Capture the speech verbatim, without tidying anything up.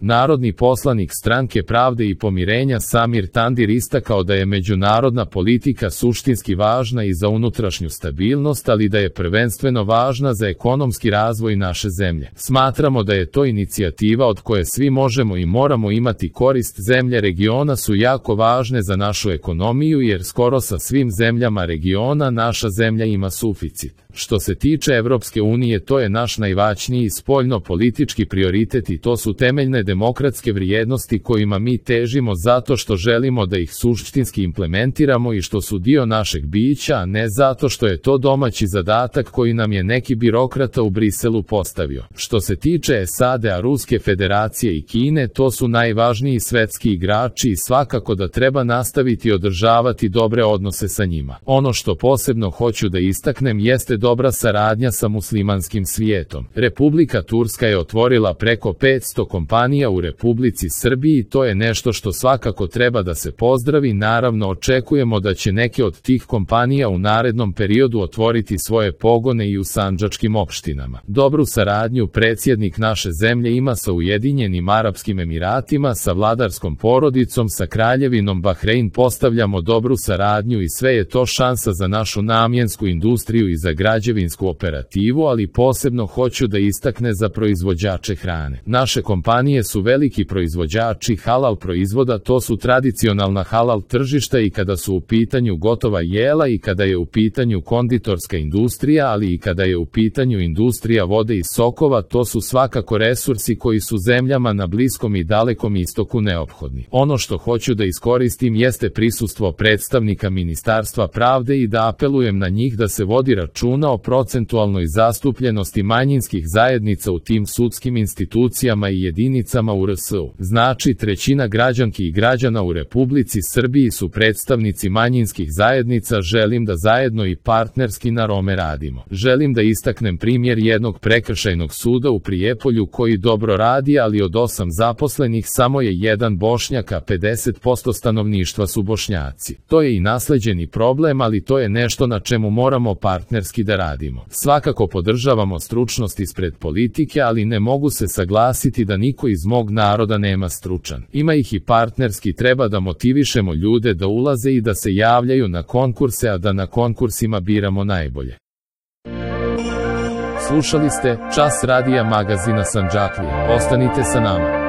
Narodni poslanik Stranke pravde i pomirenja Samir Tandir istakao da je međunarodna politika suštinski važna i za unutrašnju stabilnost, ali da je prvenstveno važna za ekonomski razvoj naše zemlje. Smatramo da je to inicijativa od koje svi možemo i moramo imati korist. Zemlje regiona su jako važne za našu ekonomiju jer skoro sa svim zemljama regiona naša zemlja ima suficit. Što se tiče Evropske unije, to je naš najvažniji spoljno-politički prioritet i to su temeljne demokratske vrijednosti kojima mi težimo zato što želimo da ih suštinski implementiramo i što su dio našeg bića, a ne zato što je to domaći zadatak koji nam je neki birokrata u Briselu postavio. Što se tiče S A D-a, Ruske federacije i Kine, to su najvažniji svetski igrači i svakako da treba nastaviti održavati dobre odnose sa njima. Ono što posebno hoću da istaknem jeste dobra saradnja sa muslimanskim svijetom. Republika Turska je otvorila preko petsto kompanija u Republici Srbiji i to je nešto što svakako treba da se pozdravi. Naravno, očekujemo da će neke od tih kompanija u narednom periodu otvoriti svoje pogone i u sandžačkim opštinama. Dobru saradnju predsjednik naše zemlje ima sa Ujedinjenim Arapskim Emiratima, sa vladarskom porodicom, sa Kraljevinom Bahrein. Postavljamo dobru saradnju i sve je to šansa za našu namjensku industriju i za građevinsku operativu, ali posebno hoću da istakne za proizvođače hrane. Naše kompanije su veliki proizvođači halal proizvoda, to su tradicionalna halal tržišta i kada su u pitanju gotova jela i kada je u pitanju konditorska industrija, ali i kada je u pitanju industrija vode i sokova, to su svakako resursi koji su zemljama na Bliskom i Dalekom istoku neophodni. Ono što hoću da iskoristim jeste prisustvo predstavnika Ministarstva pravde i da apelujem na njih da se vodi računa o procentualnoj zastupljenosti manjinskih zajednica u tim sudskim institucijama i jedinicama u R S U. Znači, trećina građanki i građana u Republici Srbiji su predstavnici manjinskih zajednica. Želim da zajedno i partnerski na Rome radimo. Želim da istaknem primjer jednog prekršajnog suda u Prijepolju koji dobro radi, ali od osam zaposlenih samo je jedan Bošnjak, a pedeset posto stanovništva su Bošnjaci. To je i nasleđeni problem, ali to je nešto na čemu moramo partnerski da radimo. Svakako podržavamo stručnost ispred politike, ali ne mogu se saglasiti da niko iz mog naroda nema stručan. Ima ih i partnerski, treba da motivišemo ljude da ulaze i da se javljaju na konkurse, a da na konkursima biramo najbolje. Slušali ste Čas radija magazina Sandžaklija. Ostanite sa nama.